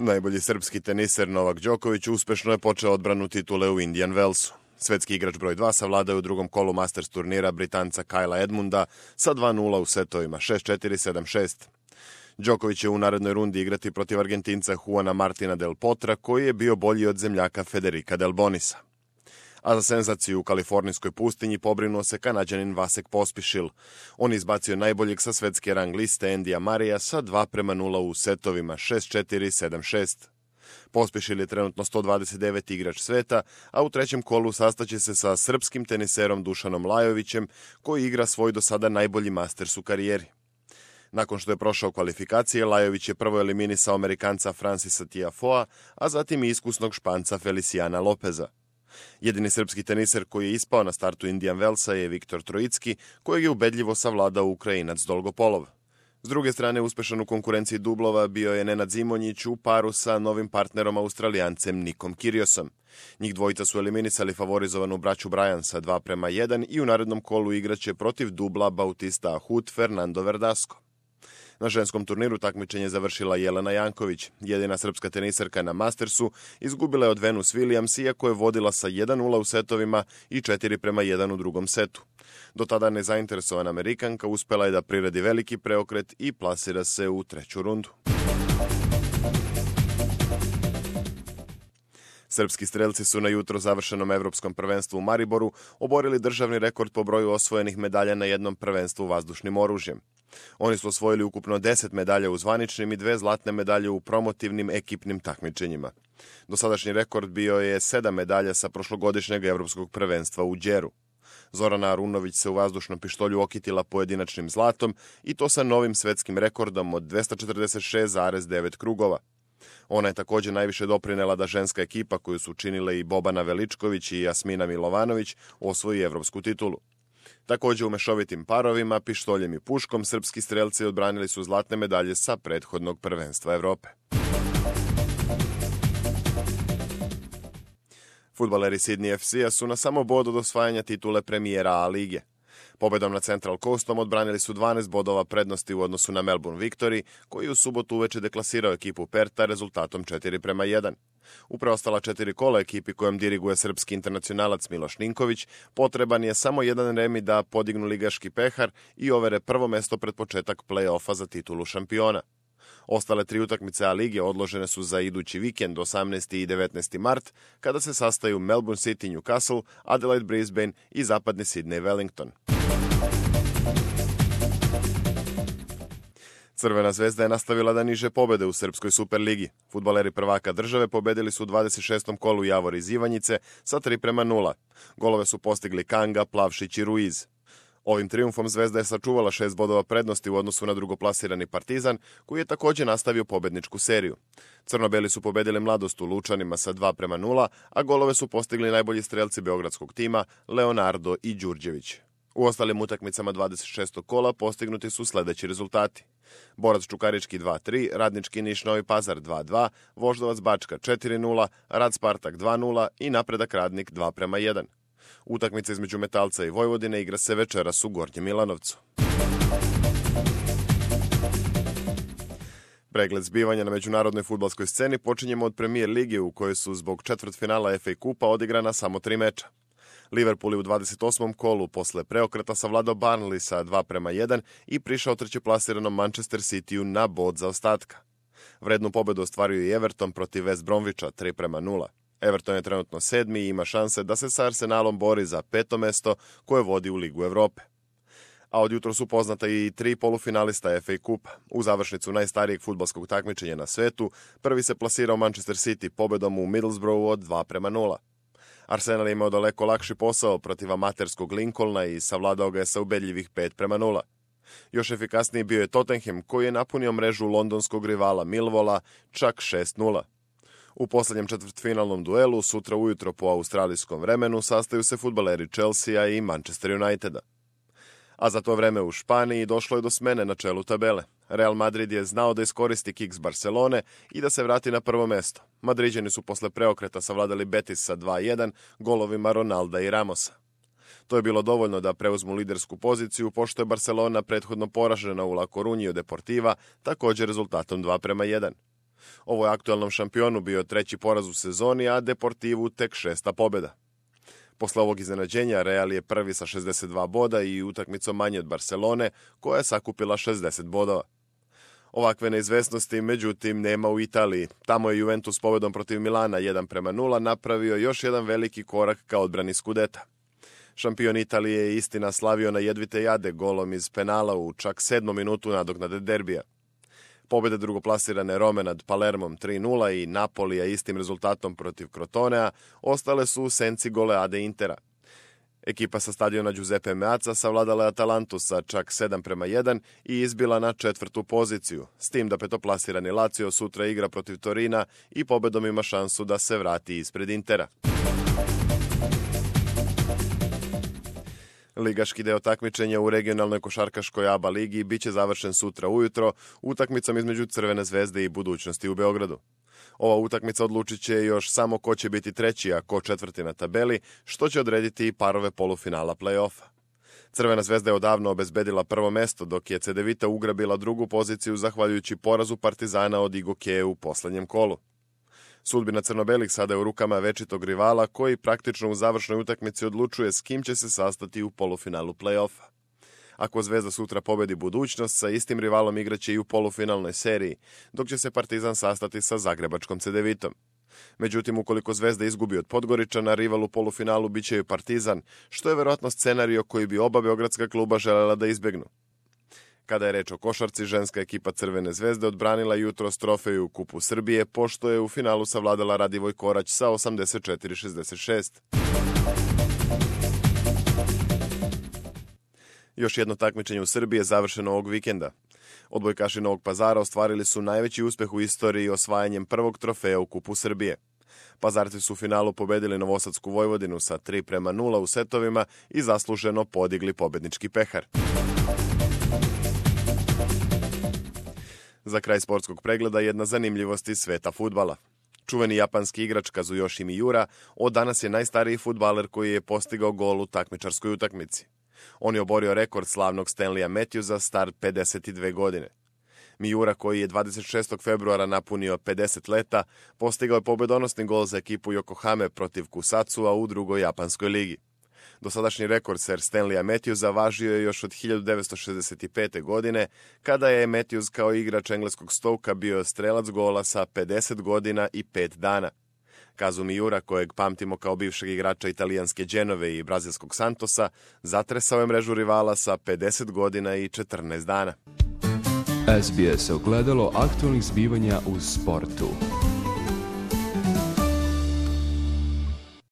Najbolji srpski teniser Novak Đoković uspešno je počeo odbranu titule u Indian Wellsu. Svetski igrač broj 2 savladao je u drugom kolu Masters turnira Britanca Kyla Edmunda sa 2-0 u setovima 6-4, 7-6. Đoković će u narednoj rundi igrati protiv Argentinca Juana Martina del Potra, koji je bio bolji od zemljaka Federica del Bonisa. A za senzaciju u kalifornijskoj pustinji pobrinuo se Kanađanin Vasek Pospišil. On izbacio najboljeg sa svetske rang liste Endija Marija sa 2-0 u setovima 6-4, 7-6. Pospišil je trenutno 129. igrač sveta, a u trećem kolu sastaće se sa srpskim teniserom Dušanom Lajovićem, koji igra svoj do sada najbolji Masters u karijeri. Nakon što je prošao kvalifikacije, Lajović je prvo eliminisao Amerikanca Francisa Tiafoea, a zatim i iskusnog Španca Feliciana Lopeza. Jedini srpski teniser koji je ispao na startu Indian Wellsa je Viktor Trojicki, kojeg je ubedljivo savladao Ukrajinac Dolgopolov. S druge strane, uspešan u konkurenciji dublova bio je Nenad Zimonjić u paru sa novim partnerom Australijancem Nikom Kyriosom. Njih dvojica su eliminisali favorizovanu braću Bryan sa 2-1 i u narednom kolu igraće protiv dubla Bautista Agut Fernando Verdasco. Na ženskom turniru takmičenje završila Jelena Janković. Jedina srpska teniserka na Mastersu izgubila je od Venus Williams, iako je vodila sa 1-0 u setovima i 4-1 u drugom setu. Do tada nezainteresovana Amerikanka uspela je da priredi veliki preokret i plasira se u treću rundu. Srpski strelci su na jutro završenom evropskom prvenstvu u Mariboru oborili državni rekord po broju osvojenih medalja na jednom prvenstvu vazdušnim oružjem. Oni su osvojili ukupno 10 medalja u zvaničnim i 2 zlatne medalje u promotivnim ekipnim takmičenjima. Dosadašnji rekord bio je 7 medalja sa prošlogodišnjeg evropskog prvenstva u Đeru. Zorana Arunović se u vazdušnom pištolju okitila pojedinačnim zlatom i to sa novim svetskim rekordom od 246,9 krugova. Ona je također najviše doprinela da ženska ekipa koju su činile i Bobana Veličković i Jasmina Milovanović osvoji evropsku titulu. Također u mešovitim parovima, pištoljem i puškom, srpski strelci odbranili su zlatne medalje sa prethodnog prvenstva Evrope. Fudbaleri Sydney FC-a su na samo bod od osvajanja titule premijera A lige. Pobedom na Central Coastom odbranili su 12 bodova prednosti u odnosu na Melbourne Victory, koji u subotu uveče deklasirao ekipu Perta rezultatom 4-1. U preostala 4 kola ekipi kojom diriguje srpski internacionalac Miloš Ninković potreban je samo jedan remi da podignu ligaški pehar i overe prvo mesto pred početak play-offa za titulu šampiona. Ostale 3 utakmice A lige odložene su za idući vikend 18. i 19. mart, kada se sastaju Melbourne City Newcastle, Adelaide Brisbane i zapadni Sydney Wellington. Crvena zvezda je nastavila da niže pobede u Srpskoj Superligi. Fudbaleri prvaka države pobedili su u 26. kolu Javor iz Ivanjice sa 3-0. Golove su postigli Kanga, Plavšić i Ruiz. Ovim trijumfom Zvezda je sačuvala 6 bodova prednosti u odnosu na drugoplasirani Partizan, koji je također nastavio pobedničku seriju. Crnobeli su pobedili Mladost u Lučanima sa 2-0, a golove su postigli najbolji strelci beogradskog tima Leonardo i Đurđević. U ostalim utakmicama 26. kola postignuti su sledeći rezultati. Borac Čukarički 2-3, Radnički Niš Novi Pazar 2-2, Voždovac Bačka 4-0, Rad Spartak 2-0 i Napredak Radnik 2-1. Utakmica između Metalca i Vojvodine igra se večeras u Gornjem Milanovcu. Pregled zbivanja na međunarodnoj fudbalskoj sceni počinjemo od Premier lige u kojoj su zbog četvrtfinala FA Kupa odigrana samo 3 meča. Liverpool je u 28. kolu posle preokreta savladao Burnley sa 2-1 i prišao trećeplasiranom Manchester Cityu na bod zaostatka. Vrednu pobedu ostvario i Everton protiv West Bromwicha 3-0. Everton je trenutno 7. i ima šanse da se sa Arsenalom bori za 5. mesto koje vodi u Ligu Evrope. A od jutro su poznata i 3 polufinalista FA Kupa. U završnicu najstarijeg fudbalskog takmičenja na svetu prvi se plasirao Manchester City pobedom u Middlesbroughu od 2-0. Arsenal je imao daleko lakši posao protiv amaterskog Lincolna i savladao ga je sa ubedljivih 5-0. Još efikasniji bio je Tottenham, koji je napunio mrežu londonskog rivala Millwalla čak 6-0. U poslednjem četvrtfinalnom duelu, sutra ujutro po australijskom vremenu, sastaju se fudbaleri Chelsea i Manchester Uniteda. A za to vreme u Španiji došlo je do smene na čelu tabele. Real Madrid je znao da iskoristi kiks Barcelone i da se vrati na prvo mesto. Madriđani su posle preokreta savladali Betis sa 2-1 golovima Ronalda i Ramosa. To je bilo dovoljno da preuzmu lidersku poziciju, pošto je Barcelona prethodno poražena u La Coruñi od Deportiva, također rezultatom 2-1. Ovo je aktuelnom šampionu bio treći poraz u sezoni, a Deportivu tek 6. pobjeda. Posle ovog iznenađenja Real je prvi sa 62 boda i utakmicom manje od Barcelone, koja je sakupila 60 bodova. Ovakve neizvesnosti, međutim, nema u Italiji. Tamo je Juventus pobedom protiv Milana 1:0 napravio još jedan veliki korak ka odbrani Skudeta. Šampion Italije je istina slavio na jedvite jade golom iz penala u čak 7. minutu nadoknade derbija. Pobjede drugoplasirane Rome nad Palermom 3:0 i Napolija istim rezultatom protiv Crotonea ostale su u senci goleade Intera. Ekipa sa stadiona Giuseppe Meazza savladala je Atalantu sa čak 7:1 i izbila na 4. poziciju, s tim da petoplasirani Lazio sutra igra protiv Torina i pobedom ima šansu da se vrati ispred Intera. Ligaški deo takmičenja u regionalnoj košarkaškoj ABA ligi biće završen sutra ujutro utakmicom između Crvene zvezde i Budućnosti u Beogradu. Ova utakmica odlučit će još samo ko će biti treći, a ko četvrti na tabeli, što će odrediti i parove polufinala play-offa. Crvena zvezda je odavno obezbedila prvo mesto, dok je Cedevita ugrabila drugu poziciju zahvaljujući porazu Partizana od Igokeje u poslednjem kolu. Sudbina crno-belih sada je u rukama večitog rivala koji praktično u završnoj utakmici odlučuje s kim će se sastati u polufinalu play-offa. Ako Zvezda sutra pobedi Budućnost, sa istim rivalom igraće i u polufinalnoj seriji, dok će se Partizan sastati sa zagrebačkom Cedevitom. Međutim, ukoliko Zvezda izgubi od Podgoričana, rival u polufinalu biće i Partizan, što je verovatno scenario koji bi oba beogradska kluba želela da izbegnu. Kada je reč o košarci, ženska ekipa Crvene zvezde odbranila jutros trofeju u Kupu Srbije, pošto je u finalu savladala Radivoj Korać sa 84-66. Još jedno takmičenje u Srbiji je završeno ovog vikenda. Odbojkaši Novog Pazara ostvarili su najveći uspeh u istoriji osvajanjem prvog trofeja u Kupu Srbije. Pazarci su u finalu pobedili Novosadsku Vojvodinu sa 3:0 u setovima i zasluženo podigli pobednički pehar. Za kraj sportskog pregleda jedna zanimljivost iz sveta fudbala. Čuveni japanski igrač Kazuyoshi Miura od danas je najstariji fudbaler koji je postigao gol u takmičarskoj utakmici. On je oborio rekord slavnog Stanleya Matthewsa star 52 godine. Miura, koji je 26. februara napunio 50 leta, postigao je pobedonosni gol za ekipu Yokohame protiv Kusatsua u drugoj japanskoj ligi. Dosadašnji rekord Sir Stanleya Matthewsa važio je još od 1965. godine, kada je Matthews kao igrač engleskog Stokea bio strelac gola sa 50 godina i 5 dana. Kazu Miura, kojeg pamtimo kao bivšeg igrača italijanske Genove i brazilskog Santosa, zatresao je mrežu rivala sa 50 godina i 14 dana. SBS ogledalo aktualnih zbivanja u sportu.